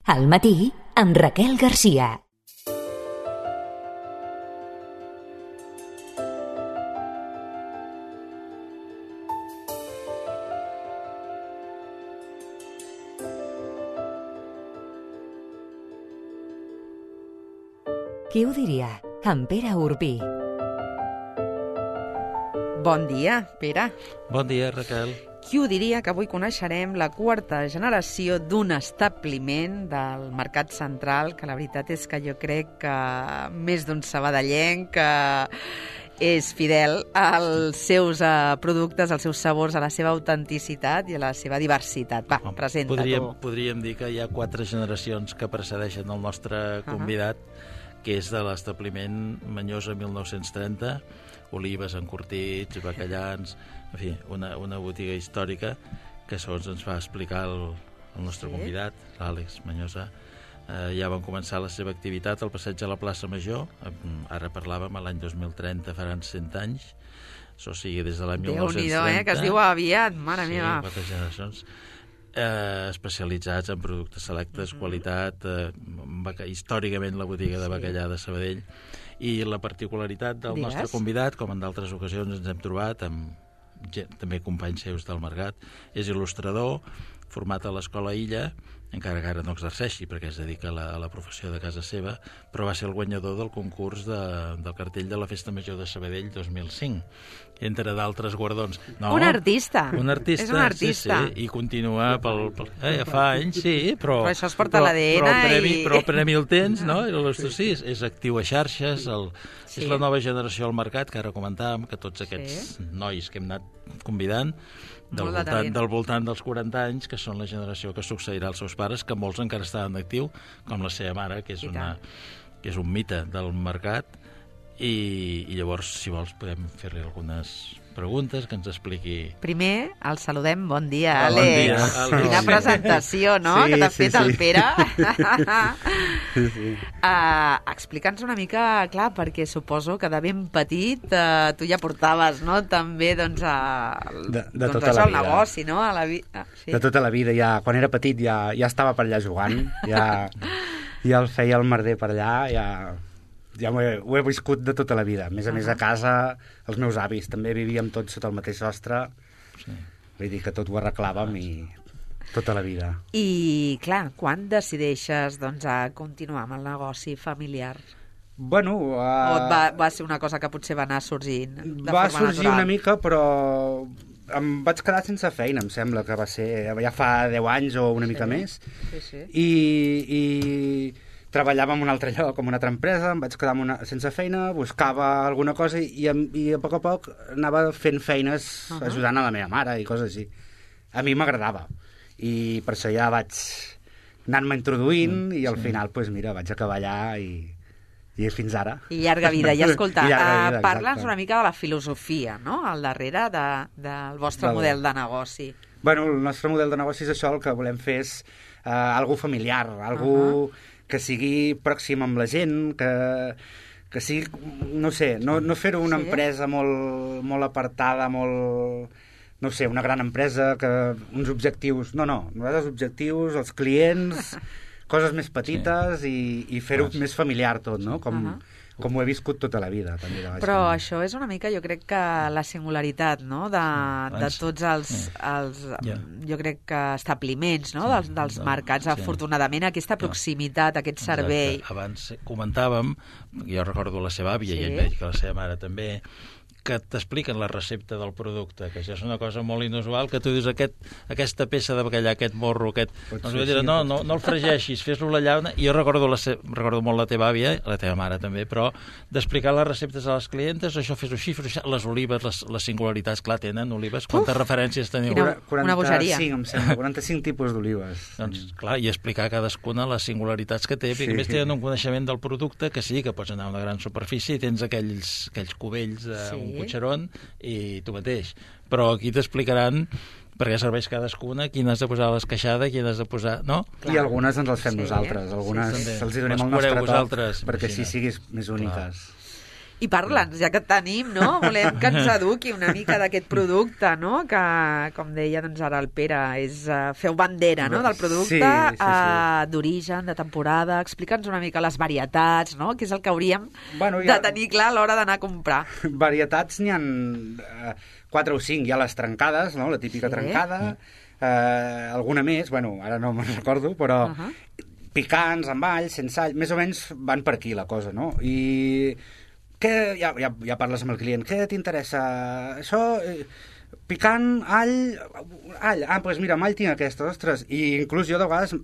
Al matí, amb Raquel Garcia. Qui ho diria? En Pere Urbí. Bon dia, Pere. Bon dia, Raquel. Qui ho diria que avui coneixerem la quarta generació d'un establiment del Mercat Central, que la veritat és que jo crec que més d'un sabadellenc que és fidel als seus productes, als seus sabors, a la seva autenticitat i a la seva diversitat. Va, presenta-t'ho. Podríem dir que hi ha 4 generacions que precedeixen el nostre convidat, que és de l'establiment Manyosa 1930, olives, encurtits, bacallans, en fi, una botiga històrica que segons ens va explicar el nostre convidat, l'Àlex Manyosa. Ja van començar la seva activitat al passeig de la plaça Major, ara parlàvem, l'any 2030 faran 100 anys, això sigui des de l'any 1930. Déu-n'hi-do, que es diu aviat, mare meva. Sí, 4 generacions. Especialitzats en productes selectes, qualitat, històricament la botiga de bacallà de Sabadell. I la particularitat del nostre convidat, com en d'altres ocasions ens hem trobat amb també companys seus del mercat, és il·lustrador, format a l'Escola Illa, encara que ara no exerceixi perquè es dedica a la professió de casa seva, però va ser el guanyador del concurs del cartell de la Festa Major de Sabadell 2005, entre d'altres guardons. No, un artista. Un artista. És un artista. Sí, i continua ja fa anys, sí, però això es porta a l'ADN. Però el premi el tens, no? Sí, és actiu a xarxes, és la nova generació al mercat, que ara comentàvem, que tots aquests nois que hem anat convidant, del voltant dels 40 anys, que són la generació que succeirà als seus pares, que molts encara estaven en actiu, com la seva mare, que és un mite del mercat, i llavors, si vols, podem fer-li algunes preguntes que ens expliqui. Primer, el saludem. Bon dia, Àlex. Bon dia, Àlex. Quina presentació, no?, que t'ha fet el Pere. Explica'ns una mica, clar, perquè suposo que de ben petit tu ja portaves, no?, també, doncs, el negoci, no?, a la vida. De tota la vida, ja, quan era petit ja estava per allà jugant, ja el feia el merder per allà, ja ho he viscut de tota la vida. A més a casa, els meus avis també vivíem tots sota el mateix sostre, vull dir que tot ho arreglàvem i tota la vida. I, clar, quan decideixes, doncs, a continuar amb el negoci familiar? Bueno... O va ser una cosa que potser va anar sorgint de forma natural? Va sorgir una mica, però em vaig quedar sense feina, em sembla que va ser ja fa 10 anys o una mica més. Sí. I treballava en un altre lloc, en una altra empresa, em vaig quedar sense feina, buscava alguna cosa i a poc anava fent feines ajudant a la meva mare i coses així. A mi m'agradava i per això ja vaig anar-me introduint i al final, doncs mira, vaig acabar allà i fins ara. I llarga vida. I escolta, parla'ns una mica de la filosofia, no?, al darrere del vostre model de negoci. Bueno, el nostre model de negoci és això, el que volem fer és algo familiar, algo que sigui pròxim amb la gent, que sigui, no sé, no fer-ho una empresa molt apartada, no sé, una gran empresa, que uns objectius... No, nosaltres els objectius, els clients, coses més petites i fer-ho més familiar tot, no? Com ho he viscut tota la vida. També, però això és una mica, jo crec que la singularitat, no?, de tots els jo crec que establiments, no?, dels mercats. Afortunadament, aquesta proximitat, aquest servei. Exacte. Abans comentàvem, jo recordo la seva àvia i ell veig que la seva mare també, que t'expliquen la recepta del producte, que això és una cosa molt inusual, que tu dius aquesta peça de bacallà, aquest morro, no el fregeixis, fes-lo a la llauna. I jo recordo molt la teva àvia, la teva mare també, però d'explicar les receptes a les clientes, això fes-ho així, les olives, les singularitats, clar, tenen olives. Quantes referències teniu? Una bogeria. 45, em sembla, 45 tipus d'olives. Doncs, clar, i explicar cadascuna les singularitats que té, perquè a més tenen un coneixement del producte que sí, que pots anar a una gran superfície i tens aquells cubells d'un cotxeron i tu mateix. Però aquí t'explicaran perquè serveix cadascuna, quina has de posar a l'esqueixada, quina has de posar... No? I algunes ens les fem nosaltres, algunes els hi donem el nostre toc perquè així siguis més úniques. I parla'ns, ja que et tenim, no? Volem que ens eduqui una mica d'aquest producte, no? Que, com deia doncs ara el Pere, és feu bandera, no?, del producte, d'origen, de temporada. Explica'ns una mica les varietats, no?, que és el que hauríem de tenir clar a l'hora d'anar a comprar. Varietats n'hi ha 4 o 5. Hi ha les trencades, no?, la típica trencada, alguna més, bueno, ara no me'n recordo, però picants, amb all, sense all, més o menys van per aquí la cosa, no? I ja parles amb el client, què t'interessa? Això, picant, all, doncs mira, amb all tinc aquesta, ostres, i inclús jo de vegades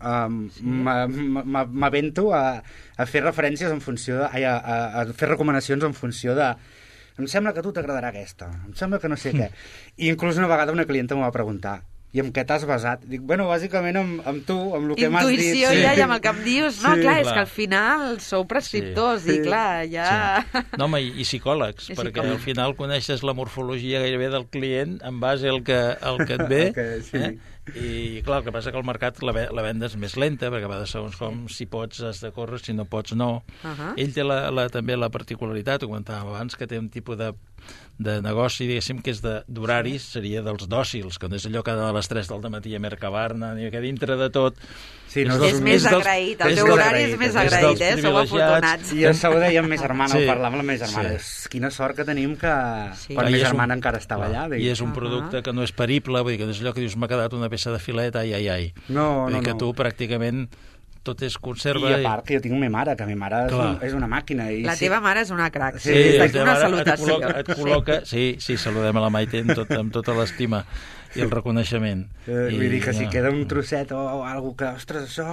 m'avento a fer referències en funció a fer recomanacions en funció de em sembla que a tu t'agradarà aquesta, em sembla que no sé què. I inclús una vegada una clienta m'ho va preguntar, i amb què t'has basat? Dic, bueno, bàsicament amb tu, amb el que m'has dit. Intuïció ja, i amb el que em dius. No, clar, és que al final sou prescriptors i clar, ja... No, home, i psicòlegs, perquè al final coneixes la morfologia gairebé del client en base al que et ve, i clar, el que passa que al mercat la venda és més lenta, perquè a vegades segons com, si pots has de córrer, si no pots no. Ell té també la particularitat, ho comentàvem abans, que té un tipus de negoci, diguéssim, que és d'horaris, seria dels dòcils, que no és allò que a les 3 del matí a Mercabarna, ni que dintre de tot... És més agraït, el teu horari és més agraït, sou afortunats. I això ho deia amb ma germana, ho parlàvem amb la meva germana. Quina sort que tenim que la meva germana encara estava allà. I és un producte que no és perible, vull dir que no és allò que dius, m'ha quedat una peça de filet, ai. No. Vull dir que tu pràcticament tot és conserva. I a part que jo tinc ma mare, que ma mare és una màquina. La teva mare és una crac. Sí, una salutació. Et col·loca, sí, saludem a la Maite amb tota l'estima i el reconeixement. Vull dir que si queda un trosset o alguna que, ostres, això...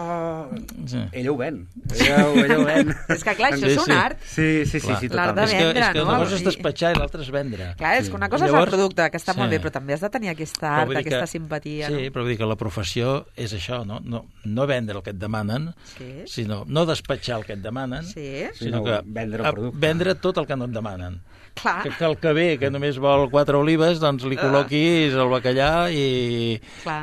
Ella ho ven. Ella ho ven. És que clar, això és un art. Sí, totalment. L'art de vendre, no? És que una cosa és despatxar i l'altra és vendre. Clar, és que una cosa és el producte, que està molt bé, però també has de tenir aquesta art, aquesta simpatia. Sí, però vull dir que la professió és això, no? No vendre el que et demanen, sinó no despatxar el que et demanen, sinó que vendre tot el que no et demanen. Clar. Que el que ve, que només vol 4 olives, doncs li col·loquis el bacallà i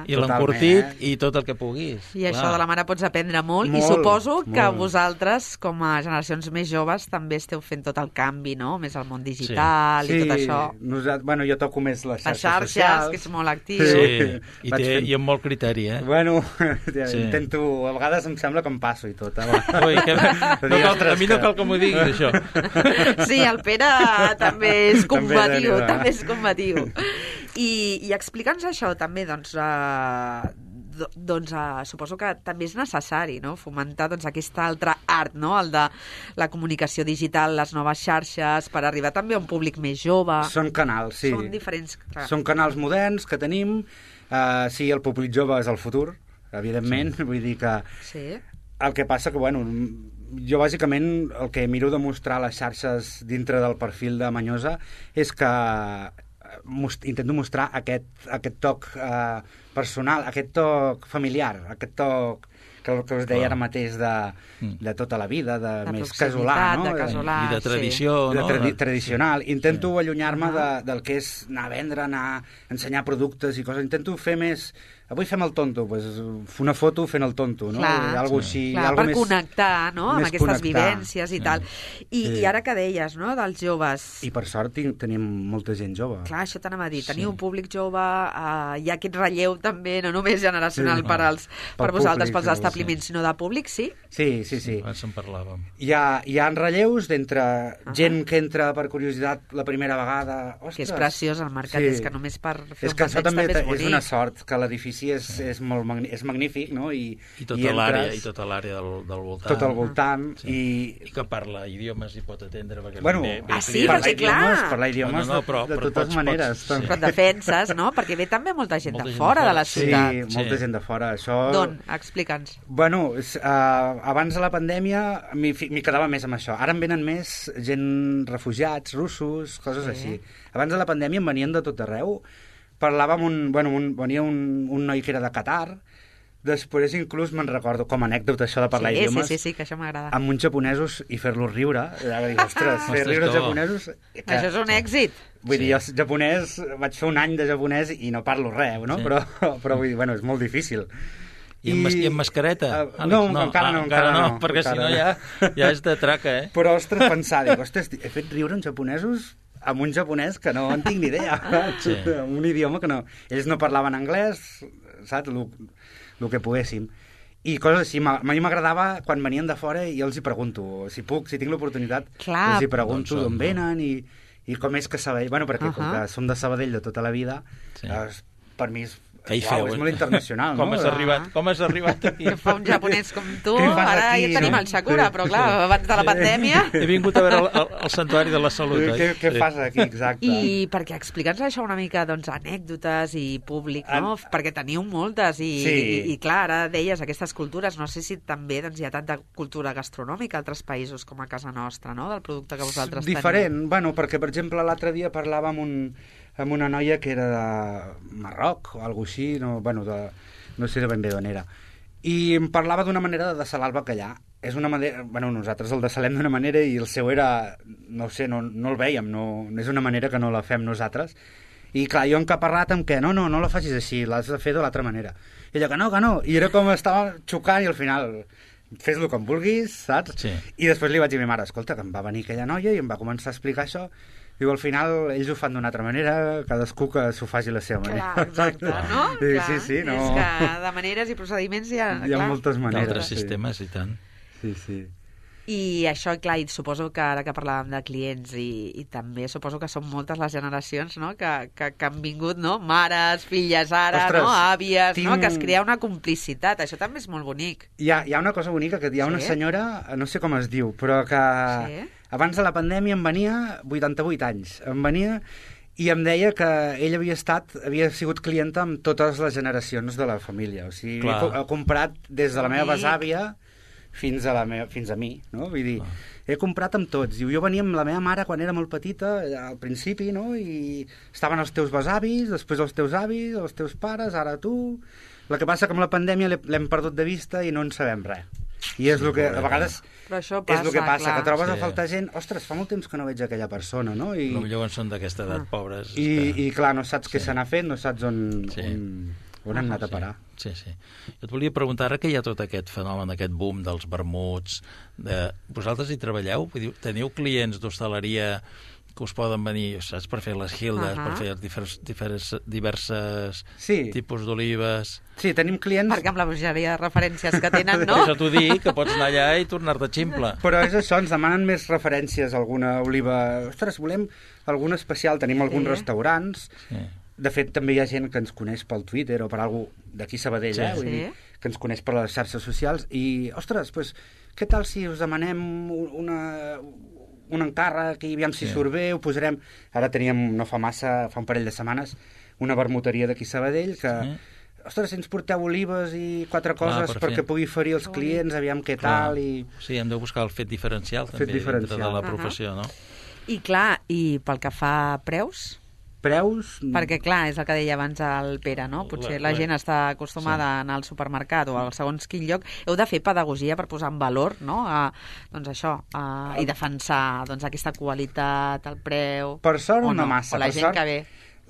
l'encurtit i tot el que puguis. I això de la mare pots aprendre molt, i suposo que vosaltres, com a generacions més joves, també esteu fent tot el canvi, no? Més al món digital i tot això. Bueno, jo toco més les xarxes socials, que és molt actiu. Sí, i amb molt criteri, Bueno, intento, a vegades em sembla que em passo i tot. A mi no cal que m'ho diguis, això. Sí, el Pere també és combatiu, I explica'ns això també, doncs suposo que també és necessari, no?, fomentar aquesta altra art, no?, el de la comunicació digital, les noves xarxes, per arribar també a un públic més jove. Són canals, sí. Són diferents. Són canals moderns que tenim. Sí, el públic jove és el futur, evidentment, vull dir que... Sí. El que passa que, bueno, jo bàsicament el que miro de mostrar a les xarxes dintre del perfil de Manyosa és que intento mostrar aquest toc personal, aquest toc familiar, aquest toc que us deia ara mateix de tota la vida, de més casolà, no? De casolà, i de tradició, no? Tradicional. Intento allunyar-me del que és anar a vendre, anar a ensenyar productes i coses. Intento fer més... Avui fem el tonto, una foto fent el tonto, no? Algo així, per connectar, no?, amb aquestes vivències i tal. I ara que deies, no?, dels joves... I per sort tenim molta gent jove. Clar, això t'anava a dir, teniu un públic jove, hi ha aquest relleu també, no només generacional per vosaltres, pels establiments, sinó de públic, sí? Sí. Abans en parlàvem. Hi ha relleus d'entre gent que entra per curiositat la primera vegada... Que és preciós el mercat, és que només per fer un passeig també és bonic. És una sort que l'edifici és magnífic, no? I tota l'àrea del voltant. Tot al voltant. I que parla idiomes i pot atendre. Bueno, sí, perquè clar. Parlar idiomes de totes maneres. Però et defenses, no? Perquè ve també molta gent de fora de la ciutat. Sí, molta gent de fora. D'on? Explica'ns. Bueno, abans de la pandèmia m'hi quedava més amb això. Ara em venen més gent refugiats, russos, coses així. Abans de la pandèmia em venien de tot arreu. Venia un noi que era de Qatar, després inclús me'n recordo, com a anècdota això de parlar idiomes, sí, que això m'agrada. Amb uns japonesos i fer-los riure, ostres, fer riure els japonesos... Això és un èxit. Vull dir, jo japonès, vaig fer un any de japonès i no parlo res, no? Però vull dir, bueno, és molt difícil. I amb mascareta? No, encara no. Perquè si no ja és de traca, eh? Però, ostres, pensar, he fet riure uns japonesos amb un japonès que no en tinc ni idea, sí. Amb un idioma que no... Ells no parlaven anglès, saps? El que poguéssim. I coses així, a mi m'agradava quan venien de fora i els hi pregunto, si tinc l'oportunitat, els hi pregunto d'on venen i com és que Sabadell... Bueno, perquè com que som de Sabadell de tota la vida, per mi és molt internacional, no? Com has arribat aquí? Que fa un japonès com tu, ara ja tenim el Sakura, però clar, abans de la pandèmia... He vingut a veure el Santuari de la Salut, oi? Què fas aquí, exacte? I perquè explica'ns això una mica, doncs, anècdotes i públic, no? Perquè teniu moltes i clar, ara deies aquestes cultures, no sé si també doncs, hi ha tanta cultura gastronòmica a altres països com a casa nostra, no?, del producte que vosaltres teniu. Diferent, bueno, perquè, per exemple, l'altre dia parlava amb una noia que era de Marroc o alguna així, no sé ben bé d'on era, i em parlava d'una manera de desalar el bacallà. És una manera, nosaltres el desalem d'una manera i el seu era, no ho sé, no el vèiem, no és una manera que no la fem nosaltres. I clar, jo encaparrat amb que no la facis així, l'has de fer de l'altra manera. I ella que no, i era com estava xocant i al final fes-lo com vulguis, saps? Sí. I després li vaig dir a ma mare, escolta, que em va venir aquella noia i em va començar a explicar això. Diu, al final, ells ho fan d'una altra manera, cadascú que s'ho faci la seva manera. Clar, exacte, no? Sí, no. És que de maneres i procediments hi ha moltes maneres. D'altres sistemes, i tant. Sí. I això, clar, i suposo que ara que parlàvem de clients i també suposo que són moltes les generacions, no?, que han vingut, no?, mares, filles ara, ostres, no?, àvies, no?, que es crea una complicitat. Això també és molt bonic. Hi ha una cosa bonica, que hi ha una senyora, no sé com es diu, però que abans de la pandèmia em venia 88 anys, em venia i em deia que ell havia sigut clienta amb totes les generacions de la família. O sigui, he comprat des de la meva besàvia fins a mi, no? Vull dir, he comprat amb tots. Diu, jo venia amb la meva mare quan era molt petita, al principi, no? I estaven els teus besavis, després els teus avis, els teus pares, ara tu... El que passa que amb la pandèmia l'hem perdut de vista i no en sabem res. I és el que, a vegades, és el que passa, que trobes a faltar gent, ostres, fa molt temps que no veig aquella persona, no? I potser són d'aquesta edat, pobres. I clar, no saps què se n'ha fet, no saps on han anat a parar. Sí. Jo et volia preguntar, ara que hi ha tot aquest fenomen, aquest boom dels vermuts, vosaltres hi treballeu? Teniu clients d'hostaleria que us poden venir, saps, per fer les hildes, per fer diverses tipus d'olives... Sí, tenim clients... Perquè amb la bogeria de referències que tenen, no? Per això t'ho dic, que pots anar allà i tornar-te ximple. Però és això, ens demanen més referències, alguna oliva... Ostres, volem alguna especial, tenim alguns restaurants... Sí. De fet, també hi ha gent que ens coneix pel Twitter o per algú d'aquí Sabadell, vull dir, que ens coneix per les xarxes socials i, ostres, doncs, què tal si us demanem un encàrrec i aviam si surt bé, ho posarem... Ara teníem, no fa massa, fa un parell de setmanes, una vermuteria d'aquí Sabadell que... Ostres, si ens porteu olives i 4 coses perquè pugui oferir als clients, aviam què tal i... Sí, hem de buscar el fet diferencial també dintre de la professió, no? I clar, i pel que fa a preus... Perquè, clar, és el que deia abans el Pere, no? Potser la gent està acostumada a anar al supermercat o al segons quin lloc. Heu de fer pedagogia per posar en valor, no?, doncs això, i defensar aquesta qualitat, el preu... Per sort no massa. O la gent que ve.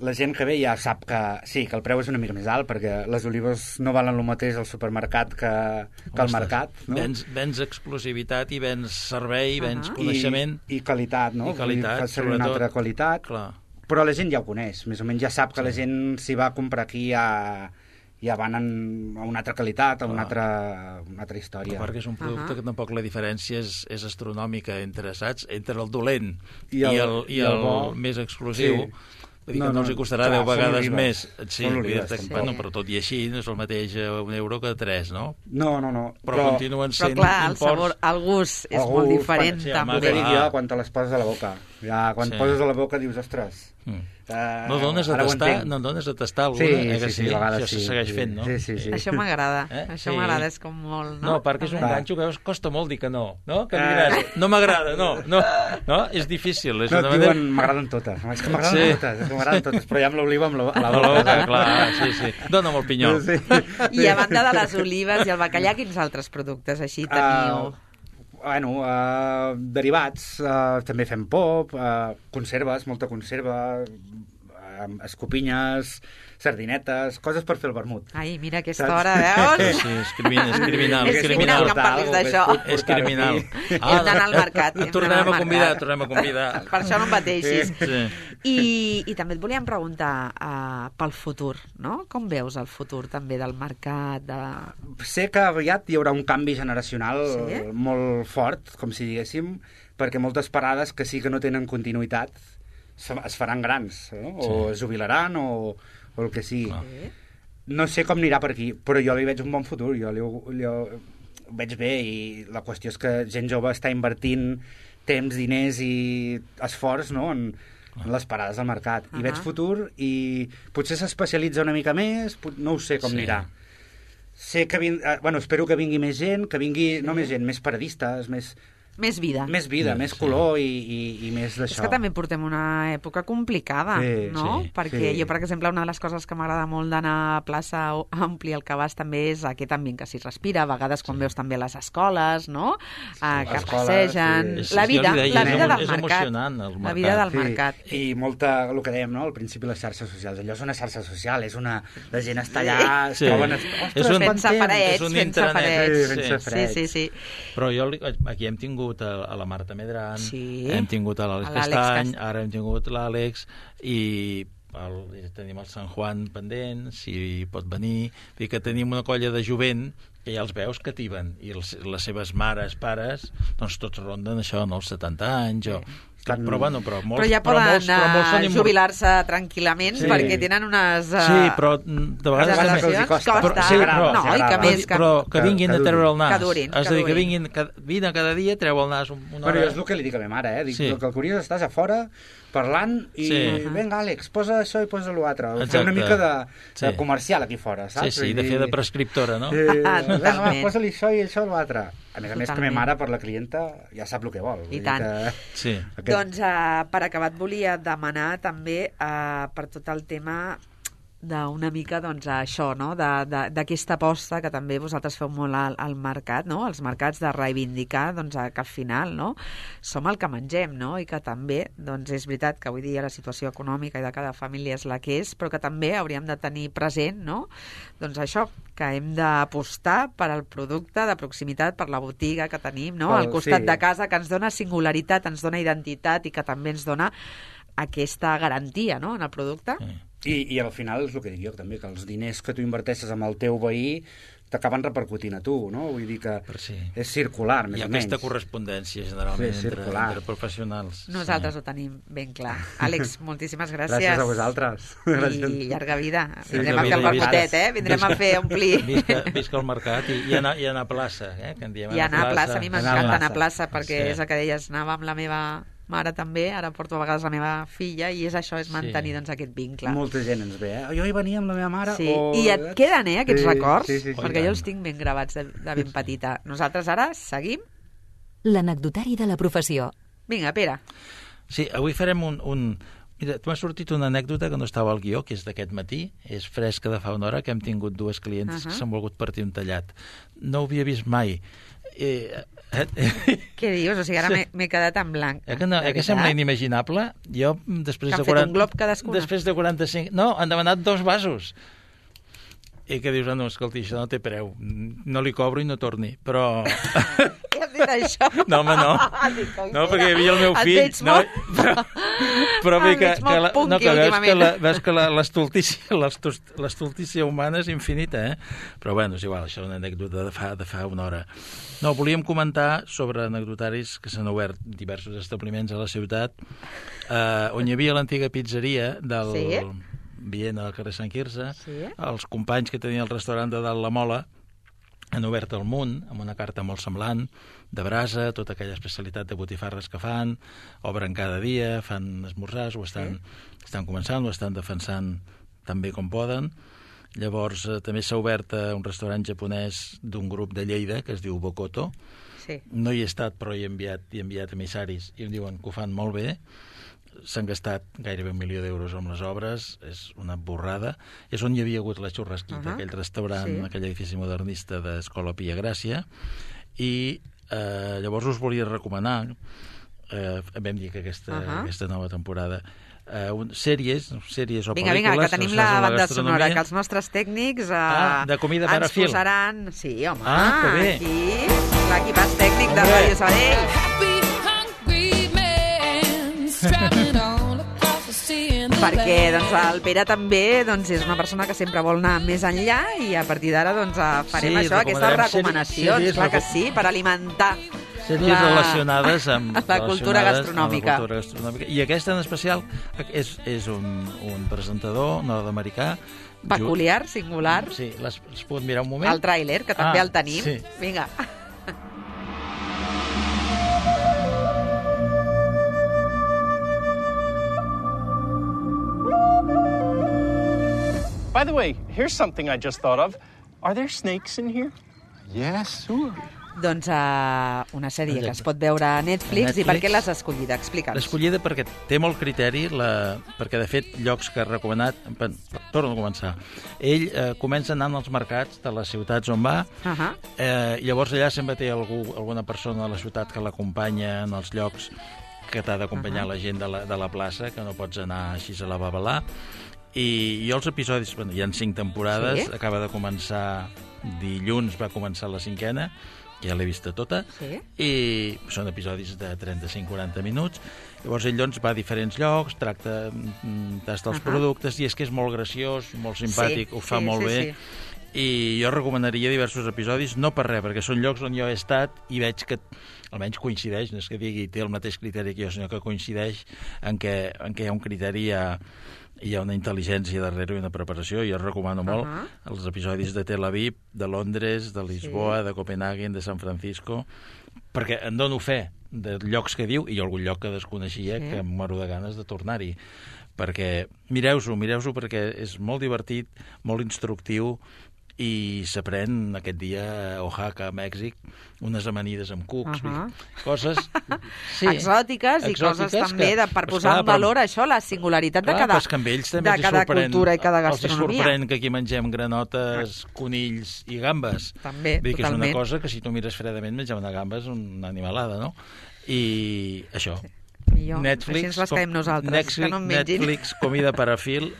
La gent que ve ja sap que sí, que el preu és una mica més alt, perquè les olives no valen el mateix al supermercat que al mercat, no? Vens exclusivitat i vens servei, vens coneixement... I qualitat, no? I qualitat, fa servir una altra qualitat. Clar. Però la gent ja ho coneix, més o menys ja sap que la gent si va a comprar aquí ja van a una altra qualitat, a una altra història. Perquè és un producte que tampoc la diferència és astronòmica entre el dolent i el més exclusiu. Vull dir que no els costarà 10 vegades més. Sí, però tot i així no és el mateix €1 que 3, no? No. Però continuen sent imports... Però clar, el sabor, el gust és molt diferent, també. El que dic jo, quan te les poses a la boca. Ja, quan poses a la boca dius, ostres... No dones a tastar alguna, sí, a vegades això se segueix fent, no? Sí. Això m'agrada, això m'agrada, és com molt... No, perquè és un ganxo que costa molt dir que no? Que em diràs, no m'agrada, no, és difícil. No, et diuen, m'agraden totes, és que m'agraden totes, però ja amb l'oliva a la boca. Clar, sí. Dóna'm el pinyol. I a banda de les olives i el bacallà, quins altres productes així teniu? Derivats, també fem pop, conserves, molta conserva, escopinyes, sardinetes, coses per fer el vermut. Ai, mira aquesta hora, veus? Sí, és criminal. És criminal que em parlis d'això. És criminal. Hem d'anar al mercat. Tornem a convidar. Per això no em bateixis. Sí. I també et volíem preguntar pel futur, no? Com veus el futur també del mercat? Sé que aviat hi haurà un canvi generacional molt fort, com si diguéssim, perquè moltes parades que sí que no tenen continuïtat es faran grans, o es jubilaran o el que sigui. No sé com anirà per aquí, però jo li veig un bon futur, jo ho veig bé, i la qüestió és que gent jove està invertint temps, diners i esforç, no?, en les parades del mercat. I veig futur, i potser s'especialitza una mica més, no ho sé com anirà. Sé que espero que vingui més gent, que vingui, no més gent, més paradistes, més vida. Més vida, més color i més d'això. És que també portem una època complicada, no? Perquè jo, per exemple, una de les coses que m'agrada molt d'anar a plaça Ampli al Cabàs també és aquest ambient que s'hi respira, a vegades quan veus també les escoles, no? Que passegen. La vida del mercat. És emocionant, el mercat. La vida del mercat. I molta, el que dèiem, no? Al principi, les xarxes socials. Allò és una xarxa social, és una... La gent està allà, es troben... Sense parets. Sí. Però jo aquí hem tingut a la Marta Medran, hem tingut a l'Àlex Castany, ara hem tingut l'Àlex, i tenim el Sant Juan pendent, si pot venir, i que tenim una colla de jovent que ja els veus que tiben, i les seves mares, pares, doncs tots ronden això, no, els 70 anys, però ja poden jubilar-se tranquil·lament perquè tenen unes... Sí, però de vegades costa. Però que vinguin a treure el nas. Que durin. És a dir, que vinguin cada dia, treu el nas una hora. Però és el que li dic a ma mare, dic, que el curiós estàs a fora parlant i vinga, Àlex, posa això i posa l'altre. Fer una mica de comercial aquí fora, saps? Sí, de fer de prescriptora, no? Vinga, posa-li això i això i l'altre. A més, que ma mare, per la clienta, ja sap el que vol. I tant. Doncs, per acabar, et volia demanar també per tot el tema d'una mica, doncs, això, no?, d'aquesta aposta que també vosaltres feu molt al mercat, no?, els mercats, de reivindicar, doncs, que al final, no?, som el que mengem, no?, i que també, doncs, és veritat que avui dia la situació econòmica i de cada família és la que és, però que també hauríem de tenir present, no?, doncs això, que hem d'apostar per al producte de proximitat, per la botiga que tenim, no?, al costat de casa, que ens dona singularitat, ens dona identitat i que també ens dona aquesta garantia, no?, en el producte. I al final és el que dic jo també, que els diners que tu inverteixes amb el teu veí t'acaben repercutint a tu, no? Vull dir que és circular, més o menys. Hi ha aquesta correspondència, generalment, entre professionals. Nosaltres ho tenim ben clar. Àlex, moltíssimes gràcies. Gràcies a vosaltres. I llarga vida. Vindrem a fer el vermutet, vindrem a fer omplir. Visca el mercat i anar a plaça, que en diem. I anar a plaça, a mi m'encanta anar a plaça, perquè és el que deies, anava amb la meva mare també, ara porto a vegades la meva filla, i és això, és mantenir doncs, aquest vincle. Molta gent ens ve, Jo hi venia amb la meva mare. I et queden, aquests records? Perquè jo els tinc ben gravats de ben petita. Nosaltres ara seguim. L'anecdotari de la professió. Vinga, Pere. Sí, avui farem Mira, m'ha sortit una anècdota que no estava al guió, que és d'aquest matí, és fresca de fa una hora, que hem tingut dues clients que s'han volgut partir un tallat. No ho havia vist mai. Què dius? O sigui, ara m'he quedat en blanc. Que sembla inimaginable. Jo, després de 40... un glob cadascuna? Després de 45... No, han demanat 2 vasos. I que dius, no, escolti, això no té preu. No li cobro i no torni. Però... Què has dit això? No, home, no. No, perquè hi havia el meu fill. Et veig molt... Però bé, veus que l'estultícia humana és infinita, Però, bueno, és igual, això és una anècdota de fa una hora. No, volíem comentar sobre anecdotaris que s'han obert diversos establiments a la ciutat, on hi havia l'antiga pizzeria del Viena del carrer Sant Quirze, els companys que tenien el restaurant de Dalt la Mola han obert el Munt, amb una carta molt semblant, de brasa, tota aquella especialitat de botifarres que fan, obren cada dia, fan esmorzars, ho estan començant, ho estan defensant tan bé com poden. Llavors, també s'ha obert un restaurant japonès d'un grup de Lleida, que es diu Bokoto. No hi he estat, però he enviat emissaris, i em diuen que ho fan molt bé. S'han gastat gairebé 1 milió d'euros amb les obres, és una borrada. És on hi havia hagut la Xurrasquita, aquell restaurant, aquell edifici modernista d'Escola Pia Gràcia, i llavors us volia recomanar, vam dir que aquesta nova temporada, sèries o pel·lícules... Vinga, que tenim la banda sonora, que els nostres tècnics de comida per a fil. Ens posaran... Sí, home, que bé. Aquí, l'equipàs tècnic de Ràdio Sabadell. Perquè doncs, el Pere també és una persona que sempre vol anar més enllà i a partir d'ara farem aquestes recomanacions, clar que sí, per alimentar sèries relacionades amb la cultura gastronòmica. I aquesta en especial és un presentador nord-americà peculiar, singular. Sí, l'has pogut mirar un moment? El tràiler, que també el tenim. Sí. Vinga. By the way, here's something I just thought of. Are there snakes in here? Yes, sure. Doncs una sèrie que es pot veure a Netflix. I per què l'has escollida? Explica'ns. L'he escollida perquè té molt criteri, perquè de fet llocs que ha recomanat... Torno a començar. Ell comença anant als mercats de les ciutats on va, llavors allà sempre té alguna persona de la ciutat que l'acompanya en els llocs que t'ha d'acompanyar la gent de la plaça, que no pots anar així a la babalà. I els episodis, hi ha 5 temporades, acaba de començar dilluns, va començar la 5ª, ja l'he vista tota, i són episodis de 35-40 minuts. Llavors ell va a diferents llocs, tracta dels productes, i és que és molt graciós, molt simpàtic, ho fa molt bé. I jo recomanaria diversos episodis, no per res, perquè són llocs on jo he estat i veig que almenys coincideix, no és que digui té el mateix criteri que jo, sinó que coincideix en què hi ha un criteri, hi ha una intel·ligència darrere i una preparació. Jo recomano molt els episodis de Tel Aviv, de Londres, de Lisboa, de Copenhagen, de San Francisco, perquè em dono fe de llocs que diu, i hi ha algun lloc que desconeixia que em moro de ganes de tornar-hi. Perquè mireu-s'ho perquè és molt divertit, molt instructiu, i s'aprèn aquest dia a Oaxaca, a Mèxic, unes amanides amb cucs, coses exòtiques i coses també per posar en valor això, la singularitat de cada cultura i cada gastronomia. Els sorprèn que aquí mengem granotes, conills i gambes. També, totalment. Que és una cosa que si tu mires fredament menjar una gamba és una animalada, no? I això. Així ens les caiem nosaltres, que no en mengin. Netflix, comida per a fil,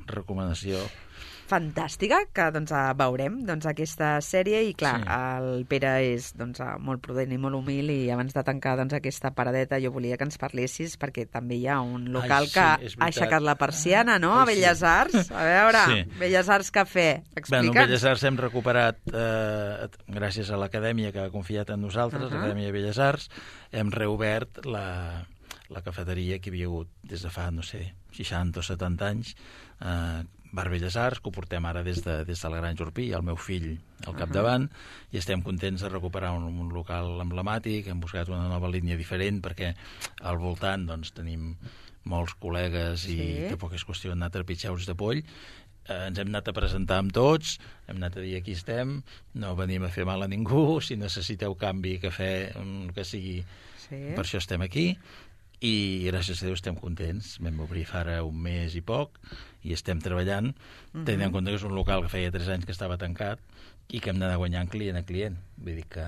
recomanació fantàstica, que veurem aquesta sèrie, i clar, el Pere és molt prudent i molt humil, i abans de tancar aquesta paradeta jo volia que ens parlessis, perquè també hi ha un local que ha aixecat la persiana, no?, a Belles Arts. A veure, Belles Arts Cafè, explica'ns. Belles Arts hem recuperat, gràcies a l'acadèmia que ha confiat en nosaltres, l'Acadèmia de Belles Arts, hem reobert la cafeteria que hi havia hagut des de fa, 60 o 70 anys, Bar Belles Arts, que ho portem ara des de la Granja Urpí, i el meu fill al capdavant, i estem contents de recuperar un local emblemàtic. Hem buscat una nova línia diferent, perquè al voltant tenim molts col·legues i tampoc és qüestió d'anar a trepitjar ulls de poll. Ens hem anat a presentar amb tots, hem anat a dir aquí estem, no venim a fer mal a ningú, si necessiteu canvi, cafè, el que sigui, per això estem aquí. I gràcies a Déu estem contents. Vam obrir fa ara un mes i poc i estem treballant, tenint en compte que és un local que feia 3 anys que estava tancat i que hem d'anar guanyant client a client. Vull dir que...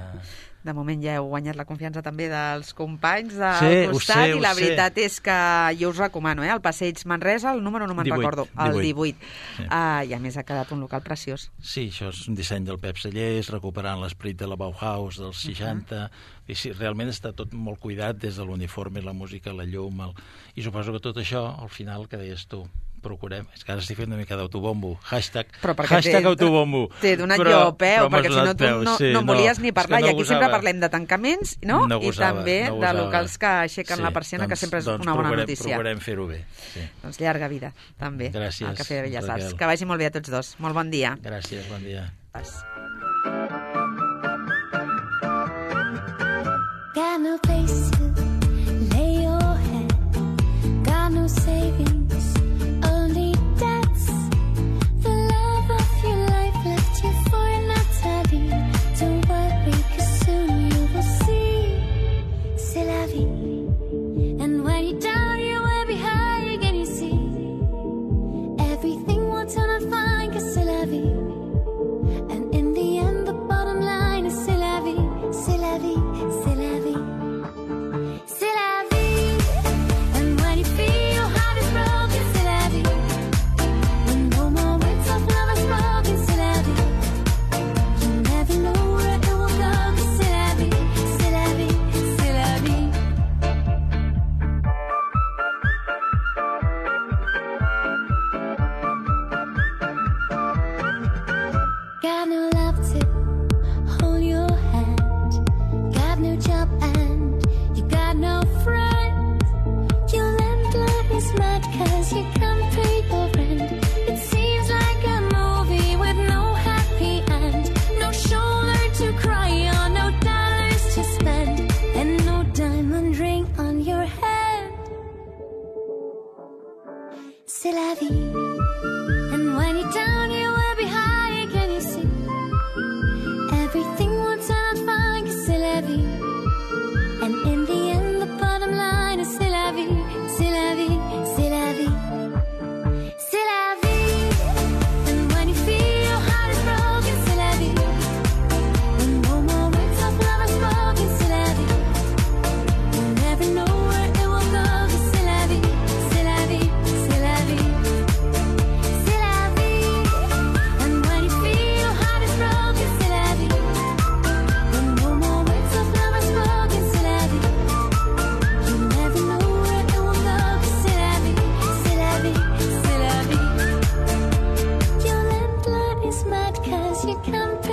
De moment ja heu guanyat la confiança també dels companys del costat, i la veritat és que jo us recomano, el Passeig Manresa, el número no me'n recordo, el 18. I a més ha quedat un local preciós. Sí, això és un disseny del Pep Cellers, recuperant l'esperit de la Bauhaus dels 60, i sí, realment està tot molt cuidat, des de l'uniforme, la música, la llum, i suposo que tot això, al final, que deies tu, procurem, és que ara estic fent una mica d'autobombo, hashtag autobombo. T'he donat jo peu, perquè si no tu no volies ni parlar, i aquí sempre parlem de tancaments, no? I també de locals que aixequen la persiana, que sempre és una bona notícia. Procurem fer-ho bé. Doncs llarga vida, també, al Cafè de Belles Arts. Que vagi molt bé a tots dos. Molt bon dia. Gràcies, bon dia. Got no place to lay your head, got no savings, only debts. The love of your life left you for Natalie. Don't worry, 'cause soon you will see. C'est la vie. And when you're down, you will be high again, you see. Everything will turn out fine, 'cause c'est la vie. And in the end, the bottom line is c'est la vie, c'est la vie, c'est la vie. C'est la vie. And when you feel high, your company.